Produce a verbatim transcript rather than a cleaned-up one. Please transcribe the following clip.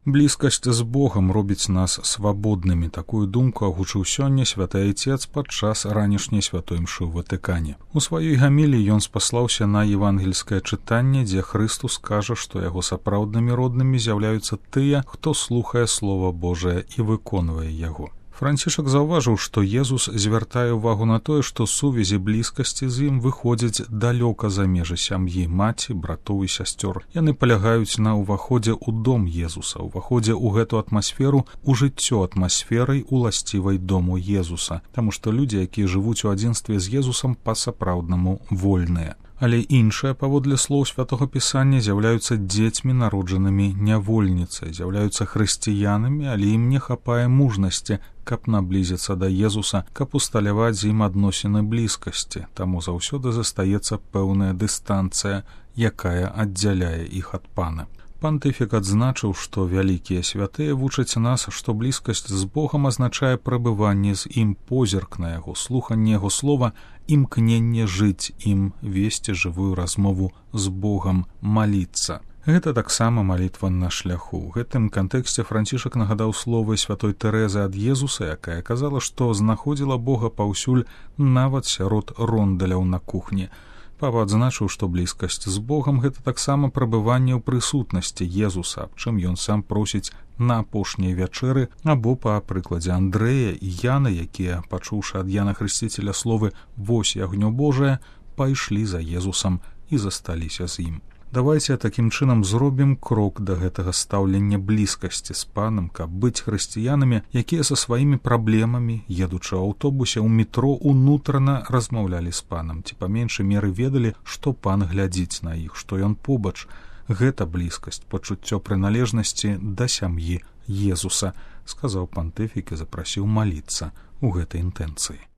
Блізкасць з Богам робіць нас свабоднымі. Такую думку агучыў сёння святы айцец падчас ранішняй святой мшы ў Ватыкане. У сваёй гаміліі ён спаслаўся на евангельскае чытанне, дзе Хрыстус кажа, што яго сапраўднымі роднымі з'яўляюцца тыя, хто слухае Слова Божае і выконвае яго. Францішак заўважыў, што Езус звяртае ўвагу на тое, што сувязі блізкасці з ім выходзяць далёка за межы сям'і, маці, братоў і сясцёр. Яны палягаюць на ўваходзе ў дом Езуса, ўваходзе ў гэту атмасферу, у жыццё атмасферай уласцівай дому Езуса, таму што людзі, якія жывуць у адзінстве з Езусам, па-сапраўднаму вольныя. Але іншыя, паводле слоў святога пісання, з'яўляюцца дзецьмі, народжанымі нявольніцай, з'яўляюцца хрысціянамі, але ім не хапае мужнасці, каб наблізіцца да Езуса, каб усталяваць з ім адносіны блізкасці, таму заўсёды застаецца пэўная дыстанцыя, якая аддзяляе іх ад Пана. Пантыфік адзначыў, што вялікія святыя вучаць нас, што блізкасць з Богам азначае прабыванне з ім, позірк на яго, слуханне яго слова, імкненне жыць ім, весці жывую размову з Богам, маліцца. Гэта таксама малітва на шляху. У гэтым кантэксце Францішак нагадаў словы святой Тэрэзы ад Езуса, якая казала, што знаходзіла Бога паўсюль, нават сярод рондаляў на кухні. Папа адзначыў, што блізкасць з Богам — гэта таксама прабыванне ў прысутнасці Езуса, аб чым ён сам просіць на апошняй вячэры, або па прыкладзе Андрэя і Яна, якія, пачуўшы ад Яна Хрысціцеля словы «Вось ягнё Божае», пайшлі за Езусам і засталіся з ім. Давайце такім чынам зробім крок да гэтага стаўлення блізкасці з Панам, каб быць хрысціянамі, якія са сваімі праблемамі, едучы ў аўтобусе, ў метро, унутрана размаўлялі з Панам, ці па меншай меры ведалі, што Пан глядзіць на іх, што ён побач. Гэта блізкасць, пачуццё прыналежнасці да сям'і Езуса, сказаў пантыфік і запрасіў маліцца ў гэтай інтэнцыі.